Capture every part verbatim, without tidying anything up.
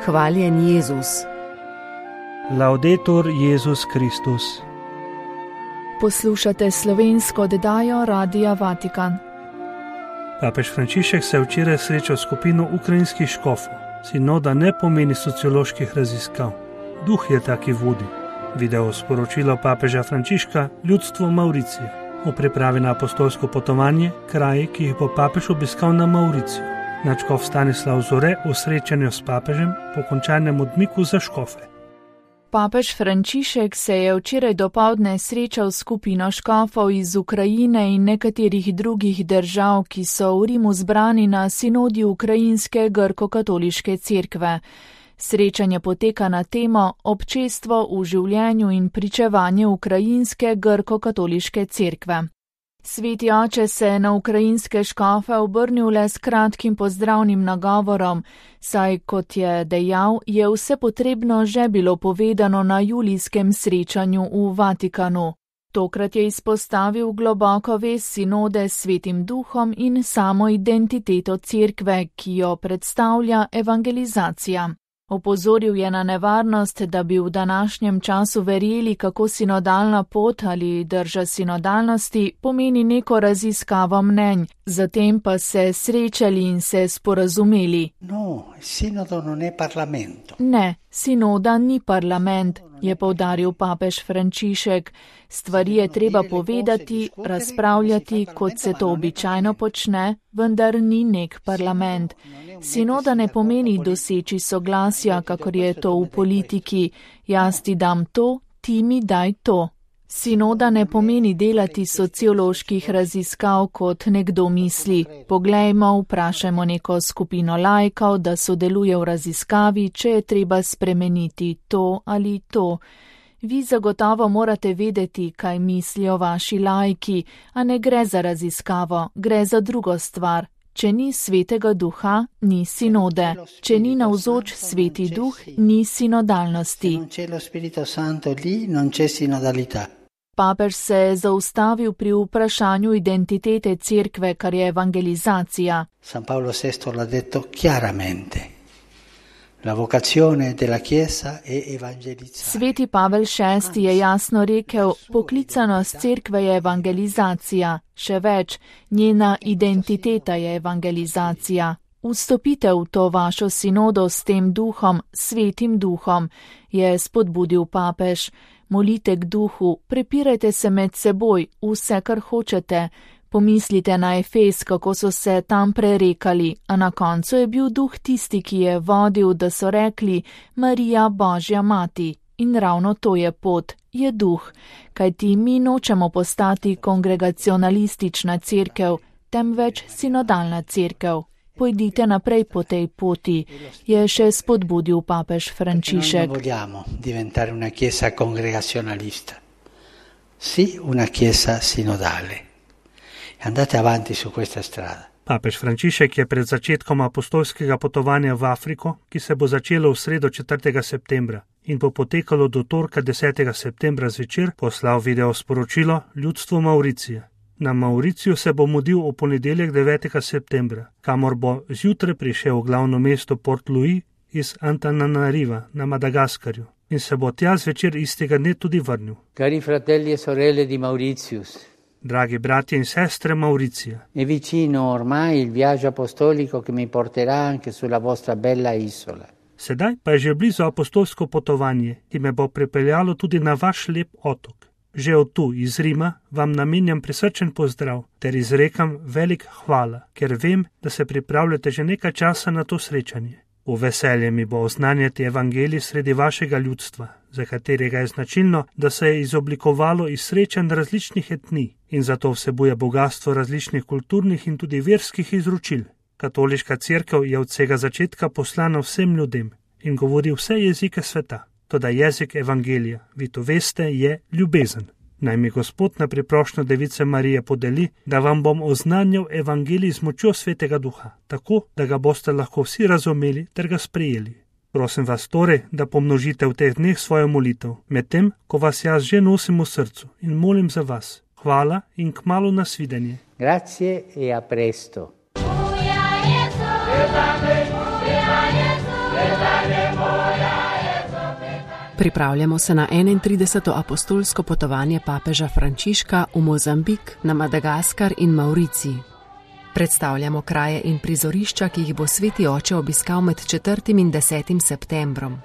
Hvaljen Jezus. Laudetur Jezus Kristus. Poslušate slovensko oddajo Radia Vatikan. Papež Frančišek se je včeraj srečal skupino ukrajinskih škofov. Sinoda ne pomeni socioloških raziskav. Duh je taki vodi. Video sporočilo papeža Frančiška ljudstvu Mauricije v pripravi na apostolsko potovanje, kraji, ki jih bo papež obiskal na Mauriciju. Nadškof Stanislav Zore v srečanju s papežem po končanem odmiku za škofe. Papež Frančišek se je včeraj dopoldne srečal s skupino škofov iz Ukrajine in nekaterih drugih držav, ki so v Rimu zbrani na sinodi Ukrajinske grko-katoliške cerkve. Srečanje poteka na temo Občestvo v življenju in pričevanje Ukrajinske grko-katoliške cerkve. Sveti oče se je na ukrajinske škofe obrnil le s kratkim pozdravnim nagovorom, saj, kot je dejal, je vse potrebno že bilo povedano na julijskem srečanju v Vatikanu. Tokrat je izpostavil globoko vez sinode s Svetim Duhom in samo identiteto cerkve, ki jo predstavlja evangelizacija. Opozoril je na nevarnost, da bi v današnjem času verjeli, kako sinodalna pot ali drža sinodalnosti pomeni neko raziskavo mnenj, zatem pa se srečali in se sporazumeli. No, sinodo non è parlamento. Ne, sinoda ni parlament, je poudaril papež Frančišek. Stvari je treba povedati, razpravljati, kot se to običajno počne, vendar ni nek parlament. Sinoda ne pomeni doseči soglasja, kakor je to v politiki. Jaz ti dam to, ti mi daj to. Sinoda ne pomeni delati socioloških raziskav, kot nekdo misli. Poglejmo, vprašajmo neko skupino laikov, da sodeluje v raziskavi, če je treba spremeniti to ali to. Vi zagotovo morate vedeti, kaj mislijo vaši laiki, a ne gre za raziskavo, gre za drugo stvar. Če ni Svetega Duha, ni sinode. Če ni navzoč Sveti Duh, ni sinodalnosti. Papež se je zaustavil pri vprašanju identitete cerkve, kar je evangelizacija. San Paolo sesto l'ha detto chiaramente. La vocazione della Chiesa è evangelizzare. Sveti Pavel šesti je jasno rekel, poklicanost cerkve je evangelizacija, še več, njena identiteta je evangelizacija. Vstopite v to vašo sinodo s tem duhom, Svetim Duhom, je spodbudil papež. Molite k duhu, prepirajte se med seboj, vse, kar hočete. Pomislite na Efes, kako so se tam prerekali, a na koncu je bil duh tisti, ki je vodil, da so rekli Marija Božja mati. In ravno to je pot, je duh, kajti mi nočemo postati kongregacionalistična cerkev, temveč sinodalna cerkev. Pojdite naprej po tej poti, je še spodbudil papež Frančišek. Non vogliamo diventare una chiesa congregazionalista, sì una chiesa sinodale. Andate avanti su questa strada. Papež Frančišek je pred začetkom apostolskega potovanja v Afriko, ki se bo začelo v sredo četrtega septembra in bo potekalo do torka desetega septembra zvečer, poslal video sporočilo ljudstvu Mauricije. Na Mauriciju se bo mudil v ponedeljek devetega septembra, kamor bo zjutraj prišel v glavno mesto Port Louis iz Antananariva na Madagaskarju in se bo tja zvečer istega dne tudi vrnil. Cari fratelli e sorelle di Mauritius. Dragi bratje in sestre Mauricija. È vicino ormai il viaggio apostolico che mi porterà anche sulla vostra bella isola. Sedaj pa je že blizu apostolsko potovanje, ki me bo pripeljalo tudi na vaš lep otok. Že od tu, iz Rima, vam namenjam prisrčen pozdrav ter izrekam velik hvala, ker vem, da se pripravljate že nekaj časa na to srečanje. V veselje mi bo oznanjati evangelij sredi vašega ljudstva, za katerega je značilno, da se je izoblikovalo iz srečanj različnih etnij in zato vsebuje bogatstvo različnih kulturnih in tudi verskih izročil. Katoliška cerkev je od vsega začetka poslana vsem ljudem in govori vse jezike sveta. Toda jezik evangelija, vi to veste, je ljubezen. Naj mi Gospod na priprošnjo Device Marije podeli, da vam bom oznanjal evangelij z močjo Svetega Duha, tako, da ga boste lahko vsi razumeli ter ga sprejeli. Prosim vas torej, da pomnožite v teh dneh svojo molitev, medtem, ko vas jaz že nosim v srcu in molim za vas. Hvala in kmalu nasvidenje. Grazie e a presto. Uja Jezu, Pripravljamo se na enaintrideseto apostolsko potovanje papeža Frančiška v Mozambik, na Madagaskar in Mauricij. Predstavljamo kraje in prizorišča, ki jih bo Sveti oče obiskal med četrtim in desetim septembrom.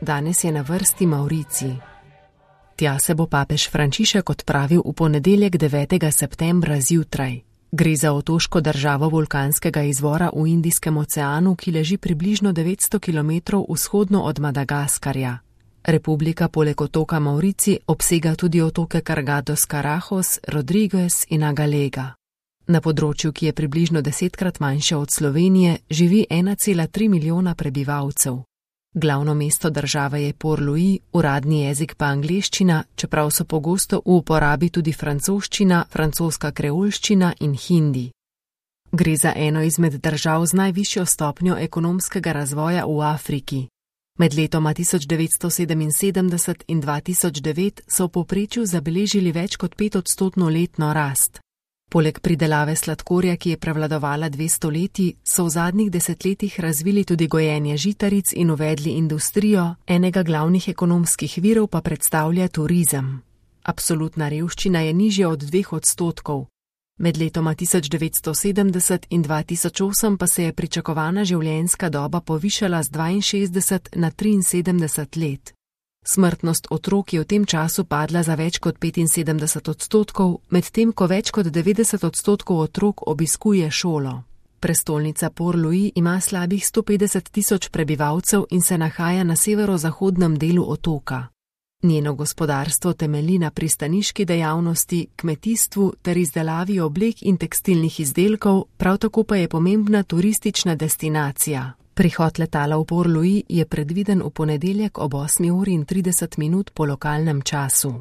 Danes je na vrsti Mauricij. Tja se bo papež Frančišek odpravil v ponedeljek devetega septembra zjutraj. Gre za otoško državo vulkanskega izvora v Indijskem oceanu, ki leži približno devetsto kilometrov vzhodno od Madagaskarja. Republika poleg otoka Mauricij obsega tudi otoke Cargados Carajos, Rodriguez in Agalega. Na področju, ki je približno desetkrat manjše od Slovenije, živi ena cela tri milijona prebivalcev. Glavno mesto države je Port-Louis, uradni jezik pa angleščina, čeprav so pogosto v uporabi tudi francoščina, francoska kreolščina in hindi. Gre za eno izmed držav z najvišjo stopnjo ekonomskega razvoja v Afriki. Med letoma tisoč devetsto sedeminsedemdeset in dva tisoč devet so v povprečju zabeležili več kot petodstotno letno rast. Poleg pridelave sladkorja, ki je prevladovala dve stoletji, so v zadnjih desetletjih razvili tudi gojenje žitaric in uvedli industrijo, enega glavnih ekonomskih virov pa predstavlja turizem. Absolutna revščina je nižja od dveh odstotkov. Med letoma tisoč devetsto sedemdeset in dva tisoč osem pa se je pričakovana življenjska doba povišala z dvainšestdeset na triinsedemdeset let. Smrtnost otrok je v tem času padla za več kot petinsedemdeset odstotkov, medtem ko več kot devetdeset odstotkov otrok obiskuje šolo. Prestolnica Port-Louis ima slabih sto petdeset tisoč prebivalcev in se nahaja na severozahodnem delu otoka. Njeno gospodarstvo temelji na pristaniški dejavnosti, kmetijstvu ter izdelavi oblek in tekstilnih izdelkov, prav tako pa je pomembna turistična destinacija. Prihod letala v Port-Louis je predviden v ponedeljek ob osmi uri in trideset minut po lokalnem času.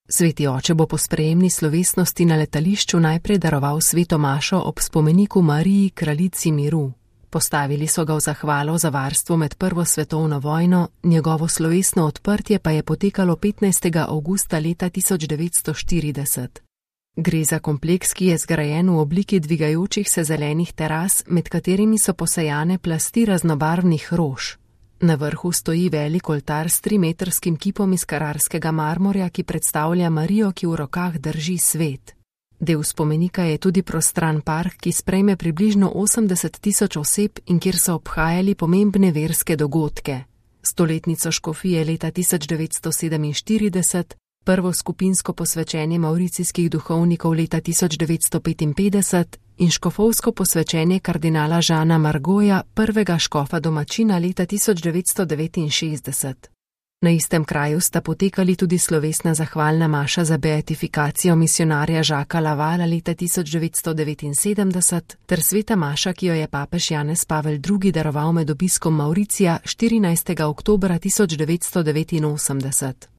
Sveti oče bo po sprejemni slovesnosti na letališču najprej daroval sveto mašo ob spomeniku Mariji, kraljici miru. Postavili so ga v zahvalo za varstvo med prvo svetovno vojno, njegovo slovesno odprtje pa je potekalo petnajstega avgusta leta tisoč devetsto štirideset. Gre za kompleks, ki je zgrajen v obliki dvigajočih se zelenih teras, med katerimi so posejane plasti raznobarvnih rož. Na vrhu stoji velik oltar s trimetrskim kipom iz kararskega marmorja, ki predstavlja Marijo, ki v rokah drži svet. Del spomenika je tudi prostran park, ki sprejme približno osemdeset tisoč oseb in kjer so obhajali pomembne verske dogodke. Stoletnico škofije leta tisoč devetsto sedeminštirideset, prvo skupinsko posvečenje mauricijskih duhovnikov leta tisoč devetsto petinpetdeset in škofovsko posvečenje kardinala Žana Margoja, prvega škofa domačina leta tisoč devetsto devetinšestdeset. Na istem kraju sta potekali tudi slovesna zahvalna maša za beatifikacijo misionarja Žaka Lavala leta tisoč devetsto devetinsedemdeset ter sveta maša, ki jo je papež Janez Pavel drugi daroval med obiskom Mauricija štirinajstega oktobra tisoč devetsto devetinosemdeset.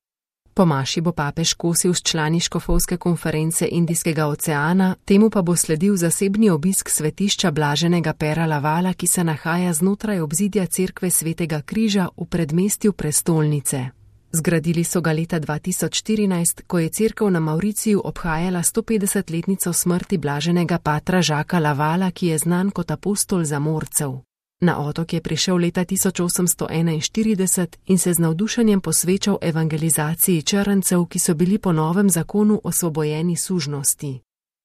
Po maši bo papež kosil s člani škofovske konference Indijskega oceana, temu pa bo sledil zasebni obisk svetišča Blaženega Pera Lavala, ki se nahaja znotraj obzidja cerkve Svetega križa v predmestju prestolnice. Zgradili so ga leta dva tisoč štirinajst, ko je cerkev na Mauriciju obhajala stopetdesetletnico smrti blaženega patra Žaka Lavala, ki je znan kot apostol zamorcev. Na otok je prišel leta tisoč osemsto enainštirideset in se z navdušenjem posvečal evangelizaciji črncev, ki so bili po novem zakonu osvobojeni sužnosti.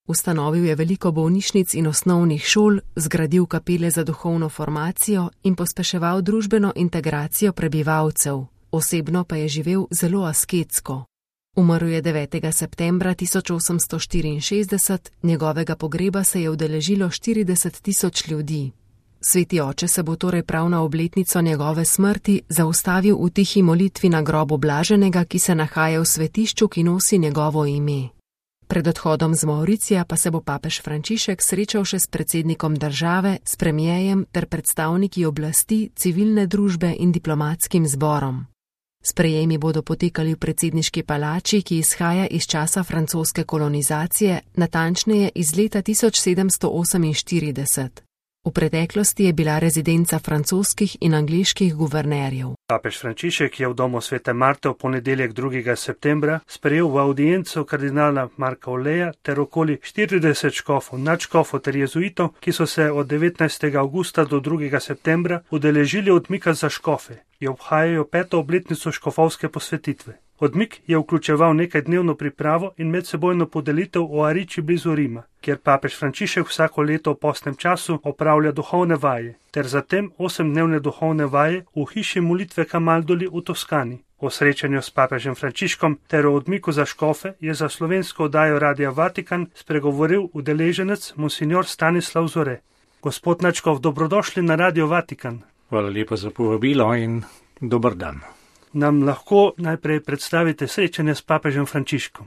Ustanovil je veliko bolnišnic in osnovnih šol, zgradil kapele za duhovno formacijo in pospeševal družbeno integracijo prebivalcev. Osebno pa je živel zelo asketsko. Umrl je devetega septembra tisoč osemsto štiriinšestdeset, njegovega pogreba se je udeležilo štirideset tisoč ljudi. Sveti oče se bo torej prav na obletnico njegove smrti zaustavil v tihi molitvi na grobu blaženega, ki se nahaja v svetišču, ki nosi njegovo ime. Pred odhodom z Mauricija pa se bo papež Frančišek srečal še s predsednikom države, s premijejem ter predstavniki oblasti, civilne družbe in diplomatskim zborom. Sprejemi bodo potekali v predsedniški palači, ki izhaja iz časa francoske kolonizacije, natančneje iz leta tisoč sedemsto oseminštirideset. V preteklosti je bila rezidenca francoskih in angleških guvernerjev. Papež Frančišek je v domu svete Marte v ponedeljek drugega septembra sprejel v audienco kardinala Marka Oleja ter okoli štirideset škofov, nadškofov ter jezuitov, ki so se od devetnajstega avgusta do drugega septembra udeležili odmika za škofe, ki obhajajo peto obletnico škofovske posvetitve. Odmik je vključeval nekajdnevno pripravo in medsebojno podelitev v Ariči blizu Rima, kjer papež Frančišek vsako leto v postnem času opravlja duhovne vaje, ter zatem osemdnevne duhovne vaje v hiši molitve Camaldoli v Toskani. O srečanju s papežem Frančiškom ter o odmiku za škofe je za slovensko oddajo Radia Vatikan spregovoril udeleženec monsignor Stanislav Zore. Gospod nadškof, dobrodošli na Radio Vatikan. Hvala lepa za povabilo in dober dan. Nam lahko najprej predstavite srečanje s papežem Frančiškom?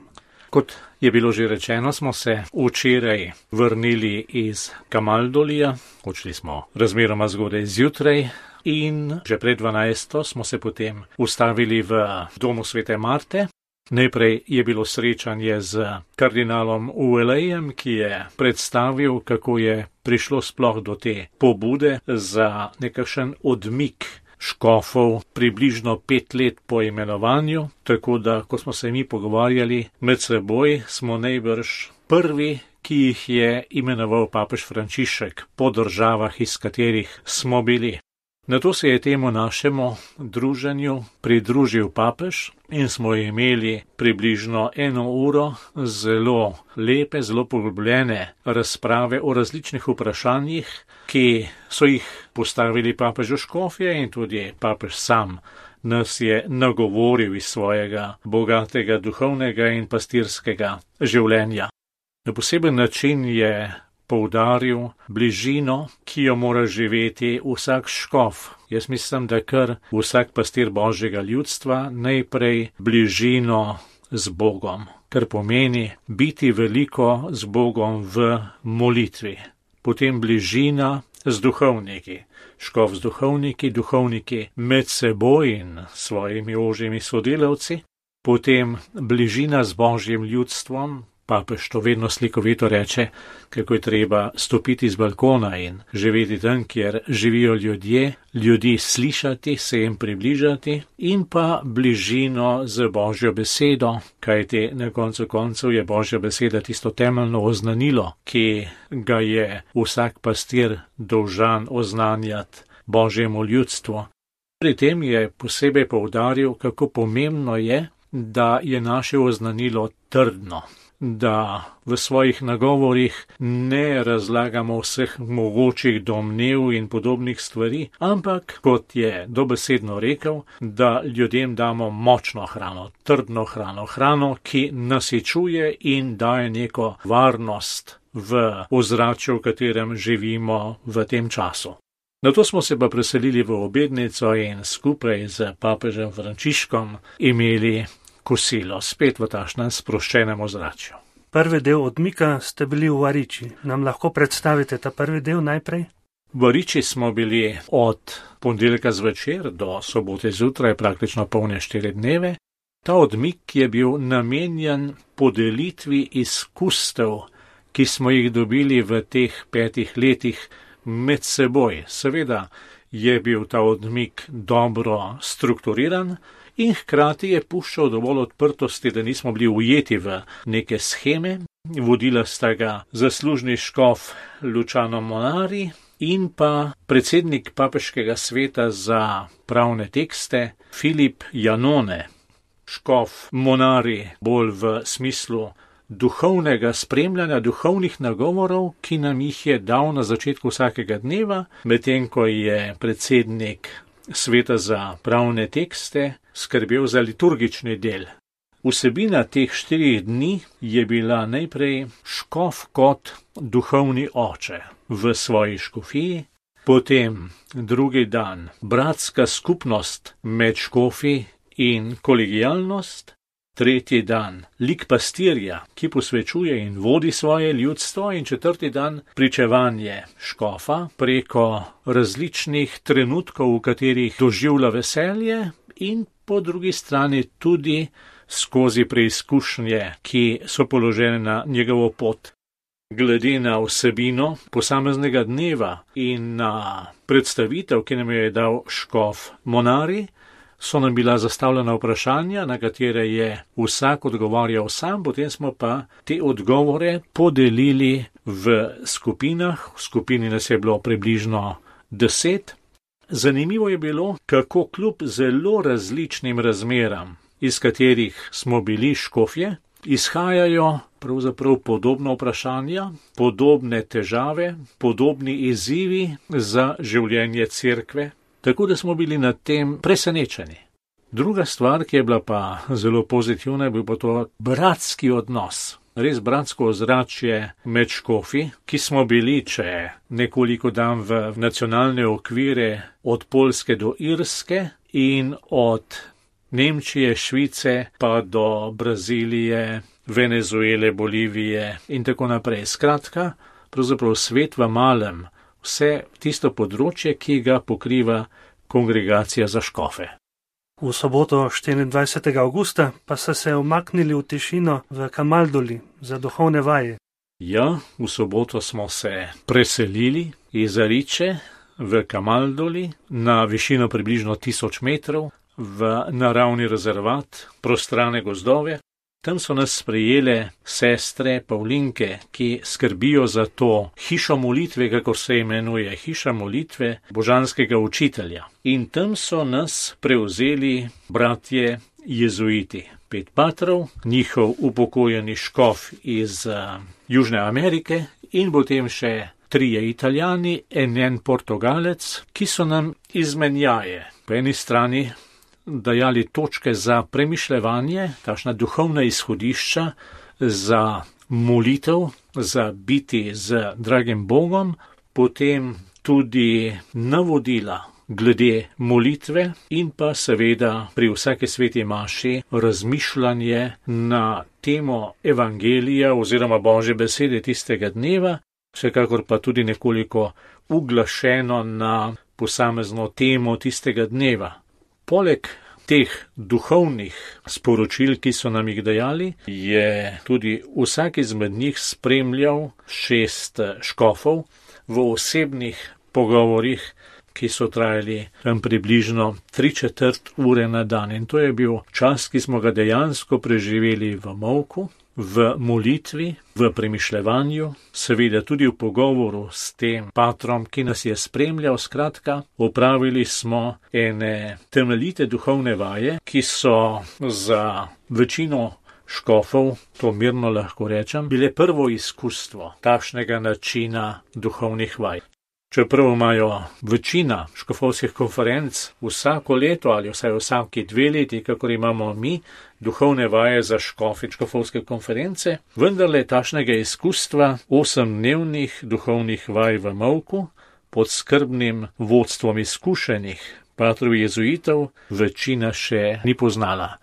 Kot je bilo že rečeno, smo se včeraj vrnili iz Camaldolija, odšli smo razmeroma zgodaj zjutraj in že pred dvanajsto smo se potem ustavili v domu svete Marte. Najprej je bilo srečanje z kardinalom Uelejem, ki je predstavil, kako je prišlo sploh do te pobude za nekakšen odmik škofov približno pet let po imenovanju, tako da, ko smo se mi pogovarjali med seboj, smo najbrž prvi, ki jih je imenoval papež Frančišek po državah, iz katerih smo bili. Nato se je temu našemu druženju pridružil papež in smo imeli približno eno uro zelo lepe, zelo poglobljene razprave o različnih vprašanjih, ki so jih postavili papežu škofje in tudi papež sam nas je nagovoril iz svojega bogatega duhovnega in pastirskega življenja. Na poseben način je poudaril bližino, ki jo mora živeti vsak škof. Jaz mislim, da kar vsak pastir Božjega ljudstva najprej bližino z Bogom, kar pomeni biti veliko z Bogom v molitvi. Potem bližina z duhovniki, škof z duhovniki, duhovniki med seboj in svojimi ožjimi sodelavci, potem bližina z Božjim ljudstvom. Papež to vedno slikovito reče, kako je treba stopiti z balkona in živeti tam, kjer živijo ljudje, ljudi slišati, se jim približati in pa bližino z Božjo besedo, kajti na koncu koncev je Božja beseda tisto temeljno oznanilo, ki ga je vsak pastir dolžan oznanjati Božjemu ljudstvu. Pri tem je posebej poudaril, kako pomembno je, da je naše oznanilo trdno, da v svojih nagovorih ne razlagamo vseh mogočih domnev in podobnih stvari, ampak, kot je dobesedno rekel, da ljudem damo močno hrano, trdno hrano, hrano, ki nasičuje in daje neko varnost v ozračju, v katerem živimo v tem času. Nato smo se pa preselili v obednico in skupaj z papežem Frančiškom imeli kosilo, spet v tašnem sproščenem ozračju. Prvi del odmika ste bili v Ariči. Nam lahko predstavite ta prvi del najprej? V Ariči smo bili od ponedeljka zvečer do sobote zjutraj, praktično polne štiri dneve. Ta odmik je bil namenjen podelitvi izkustev, ki smo jih dobili v teh petih letih med seboj. Seveda je bil ta odmik dobro strukturiran, in hkrati je puščal dovolj odprtosti, da nismo bili ujeti v neke sheme. Vodila sta ga zaslužni škof Luciano Monari in pa predsednik papeškega sveta za pravne tekste Filip Janone. Škof Monari bolj v smislu duhovnega spremljanja, duhovnih nagovorov, ki nam jih je dal na začetku vsakega dneva, medtem ko je predsednik sveta za pravne tekste skrbel za liturgični del. Vsebina teh štirih dni je bila najprej škof kot duhovni oče v svoji škofiji, potem drugi dan bratska skupnost med škofi in kolegialnost, tretji dan lik pastirja, ki posvečuje in vodi svoje ljudstvo, in četrti dan pričevanje škofa preko različnih trenutkov, v katerih doživlja veselje, in po drugi strani tudi skozi preizkušnje, ki so položene na njegovo pot. Glede na vsebino posameznega dneva in na predstavitev, ki nam je dal škof Monari, so nam bila zastavljena vprašanja, na katere je vsak odgovarjal sam, potem smo pa te odgovore podelili v skupinah, v skupini nas je bilo približno deset. Zanimivo je bilo, kako kljub zelo različnim razmeram, iz katerih smo bili škofje, izhajajo pravzaprav podobna vprašanja, podobne težave, podobni izzivi za življenje cerkve, tako da smo bili nad tem presenečeni. Druga stvar, ki je bila pa zelo pozitivna, je bil pa to bratski odnos. Res bratsko ozračje med škofi, ki smo bili, če nekoliko dam v nacionalne okvire, od Poljske do Irske in od Nemčije, Švice pa do Brazilije, Venezuele, Bolivije in tako naprej. Skratka, pravzaprav svet v malem, vse tisto področje, ki ga pokriva kongregacija za škofe. V soboto štiriindvajsetega avgusta pa so se umaknili v tišino v Kamaldoli za duhovne vaje. Ja, v soboto smo se preselili iz Ariče v Kamaldoli na višino približno tisoč metrov v naravni rezervat, prostrane gozdove. Tam so nas sprejele sestre Pavlinke, ki skrbijo za to hišo molitve, kakor se imenuje, hiša molitve božanskega učitelja. In tam so nas prevzeli bratje jezuiti. Pet patrov, njihov upokojeni škof iz uh, Južne Amerike in potem še trije Italijani in en Portugalec, ki so nam izmenjaje. Po eni strani dajali točke za premišljevanje, takšna duhovna izhodišča za molitev, za biti z dragim Bogom, potem tudi navodila glede molitve in pa seveda pri vsake sveti maši razmišljanje na temo evangelija oziroma Božje besede tistega dneva, vsekakor pa tudi nekoliko uglašeno na posamezno temo tistega dneva. Poleg teh duhovnih sporočil, ki so nam jih dajali, je tudi vsak izmed njih spremljal šest škofov v osebnih pogovorih, ki so trajali tam približno tri četrt ure na dan. In to je bil čas, ki smo ga dejansko preživeli v molku, v molitvi, v premišljevanju, seveda tudi v pogovoru s tem patrom, ki nas je spremljal. Skratka, opravili smo ene temeljite duhovne vaje, ki so za večino škofov, to mirno lahko rečem, bile prvo izkustvo takšnega načina duhovnih vaj. Čeprav imajo večina škofovskih konferenc vsako leto ali vsaj vsaki dve leti, kakor imamo mi, duhovne vaje za škofe škofovske konference, vendarle takšnega izkustva osemdnevnih duhovnih vaj v molku pod skrbnim vodstvom izkušenih patrov jezuitov večina še ni poznala.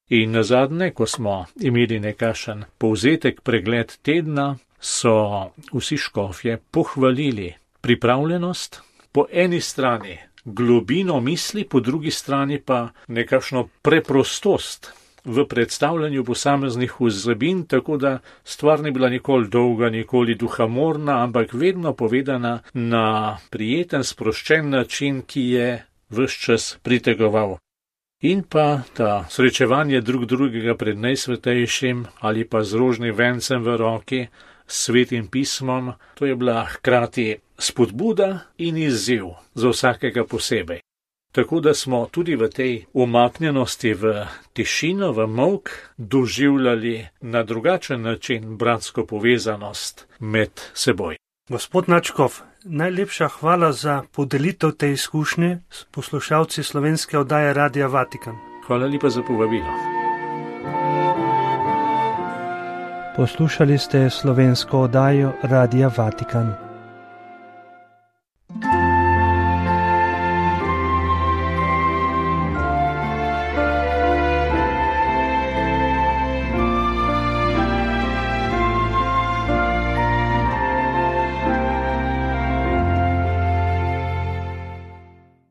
In nazadnje, ko smo imeli nekakšen povzetek pregled tedna, so vsi škofje pohvalili pripravljenost, po eni strani globino misli, po drugi strani pa nekakšno preprostost v predstavljanju posameznih vsebin, tako da stvar ni bila nikoli dolga, nikoli duhamorna, ampak vedno povedana na prijeten, sproščen način, ki je ves čas pritegoval. In pa ta srečevanje drug drugega pred najsvetejšim ali pa z rožnim vencem v roki, svetim pismom, to je bila hkrati spodbuda in izziv za vsakega posebej. Tako da smo tudi v tej umaknjenosti v tišino, v molk, doživljali na drugačen način bratsko povezanost med seboj. Gospod Načkov, najlepša hvala za podelitev te izkušnje s poslušalci slovenske oddaje Radia Vatikan. Hvala lepa za povabilo. Poslušali ste slovensko oddajo Radia Vatikan.